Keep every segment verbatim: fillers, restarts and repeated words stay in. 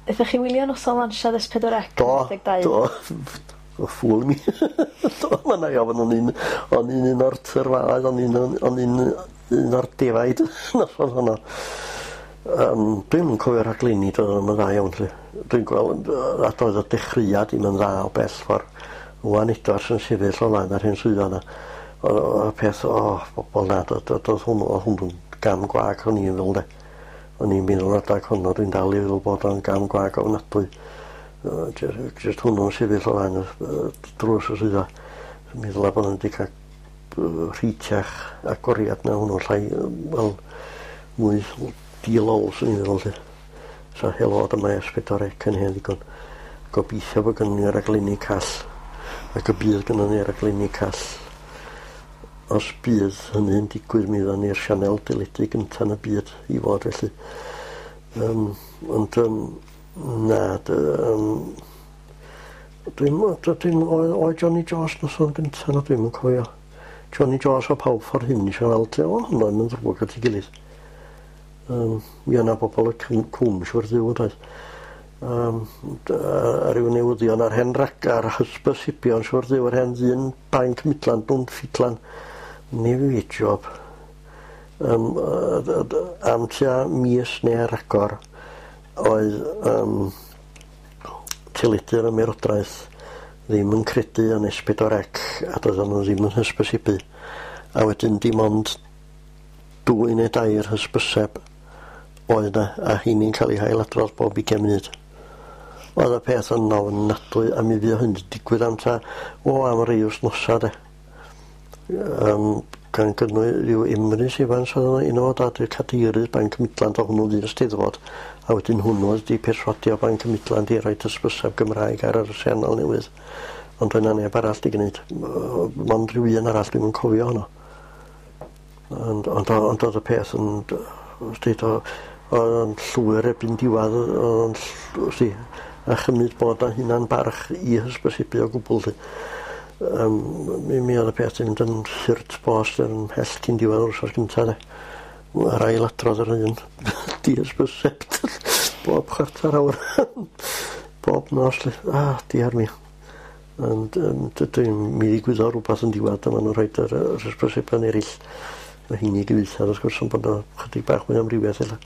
Aethoch chi wylio noson lansiad S pedwar C? Do, do. O, ffŵl mi. Do, ma' 'na ofn o'n i'n o'n i'n un o'r tyrfaoedd, o'n i'n o'n i'n un o'r defaid noson honno. Um, dwi'm yn cofio rhaglenni, doedd o'n dda iawn 'lly. Dwi'n gweld yy a doedd y dechreuad ddim yn dda o bell ffordd. Ŵan edrych yn sefyll o flaen yr hen swyddfa 'na. O'dd o y peth o bobol na do'dd do'dd do'dd hwnnw o'dd hwnnw'n gam gwag o'n i'n feddwl de. O'n i'n meddwl adag honno dwi'n dal i feddwl bod o'n gam gwag ofnadwy. Yy jy- jyst hwnnw'n sefyll o flaen y yy drws y swyddfa. Meddwl a bod o'n 'di ca'l yy rheitiach agoriad na hwnnw llai yy wel mwy di-lol swn i'n feddwl 'lly. So helo dyma S pedwar C yn hen ddigon. Gobeithio bod gynnon ni raglenni call ac y bydd gynnon ni raglenni call. Os bydd hynny'n digwydd mi fyddan ni'r sianel deledu gynta yn y byd i fod felly. Yym ond yym na dy- yym dwi'm dydyn oedd oedd Johnny Jones noson gynta na dwi'm yn cofio. Johnny Jones o pawb ffordd hyn isio weld o hwnna'n yn ddrwg at ei gilydd. Yym mi o' 'na bobol y cw- cwm siwr dduw yndoedd? Yym d- a ryw newyddion ar hen ragar hysbysibion siwr dduw yr hen ddyn banc Midland dwn ffidlan. Ni fi job. Yym yy d- d- am tua mis neu ragor oedd yym teledu'r ymerodraeth ddim yn credu yn S pedwar C a doedden nhw ddim yn hysbysebu. A wedyn dim ond dwy neu dair hysbyseb oedd 'na a heini'n cael eu hailadrodd bob ugain munud. Oedd y peth yn ofnadwy a mi fuodd hyn 'di digwydd am ta o am rei wythnosa de. Yym gan gynnwys ryw Emrys Evans oedd yna un o dad y cadeirydd Banc Midland o hwnnw ddydd y Steddfod a wedyn hwnnw oedd 'di perswadio Banc Midland i roid hysbyseb Gymraeg ar yr sianel newydd. Ond doedd 'na neb arall 'di gneud. Yy mond rhyw un arall dwi'm yn cofio honno. Ond ond o- ond o'dd y peth yn d- deud o oedd o'n llwyr erbyn diwadd oedd o'n ll- wsti a chymryd bod 'na hunan barch i hysbysebu o gwbwl 'lly. Yym mi mi oedd y peth 'di mynd yn hurt bost yn mhell cyn diwedd yr wsos gynta de. A'r ail adrodd yr un dihysbyseb bob chwarter awr bob nos 'lly. Ah diar mi. Ond yym dydyn mi ddigwyddodd rwbath yn diwedd a ma' nhw'n rhoid yr yy yr hysbysebion erill. Ma' heini gyfieithiad wrth gwrs ond bod o chydig bach mwy o amrywiaeth ella.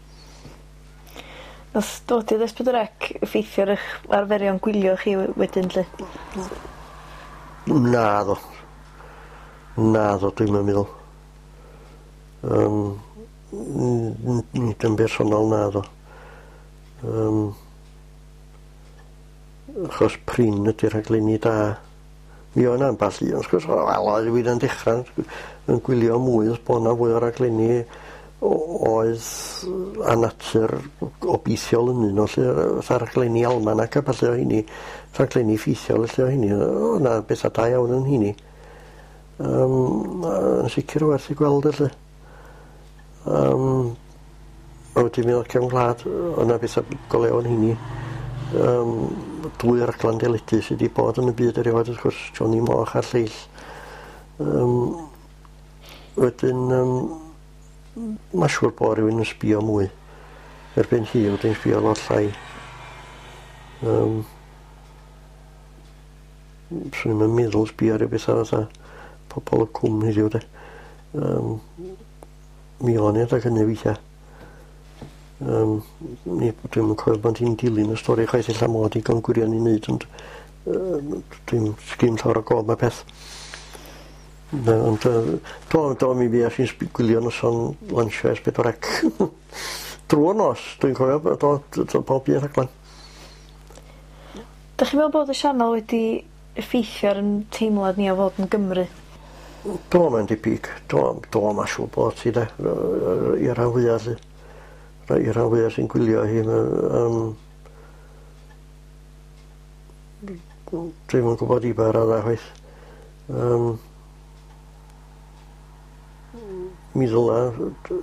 Nath dod i'r S pedwar C effeithio ar 'ych arferion gwylio chi we- wedyn 'lly? Naddo. Naddo dwi'm yn meddwl. Yym n- n- nid yn bersonol naddo. Yym achos prin ydi'r rhaglenni da. Mi oedd 'na amball un wrth gwrs wel oedd rywun yn dechra yn gwylio mwy os bo' 'na fwy o raglenni o- oedd a natur gobeithiol yn un o lle fatha rhaglenni Alman ac a ballu o heini rhaglenni ffeithiol felly o heini o' 'na betha da iawn yn heini. Yym yn sicr werth i gweld felly. Yym a wedyn mi o'dd cefn gwlad o' 'na betha go lew yn heini. Yym dwy raglan deledu sy 'di bod yn y byd erioed wrth gwrs Johnny Moch a'r lleill. Yym wedyn yym ma' siŵr bo' rywun yn sbio mwy. Erbyn hir dwi'n sbio lot llai. Yym swn i'm yn meddwl sbio ar ryw betha fatha Pobol y Cwm heddiw de. Yym mi o'n i adag hynny weithia. Yym ni dwi'm yn cofio bod hi'n dilyn y stori chwaith ella mod digon gwirion i neud ond yy dwi'm sgin llawer o gof 'ma peth. Na ond yy do do mi fues i'n sb- gwylio noson lansio Es Pedwar Ec. Drwy'r nos dwi'n cofio bod o d- d- bob un rhaglen. Dych chi'n meddwl bod y sianel wedi effeithio ar 'yn teimlad ni o fod yn Gymry? Do mae'n debyg. Do do ma' siŵr bod hi de yy i'r rhan fwya 'lly. Rhai i'r rhan fwya sy'n gwylio hi ma' yym dwi'm yn gwbod i ba radda chwaith. Yym. Mi ddyla d-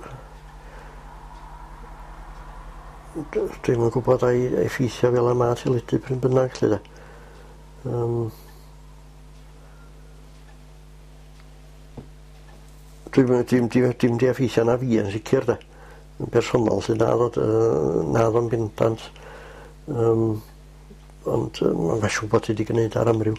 d- dwi'm yn gwbod ai effeithio fel y ma' teledu pryn bynnag 'lly 'de. Yym. Dwi'm yn dim di dim 'di effeithio arna fi yn sicir 'de. Yn bersonol 'lly naddo yy naddo'n bendant. Um, ond um, mae'n siŵr bod hi wedi gwneud ar amryw.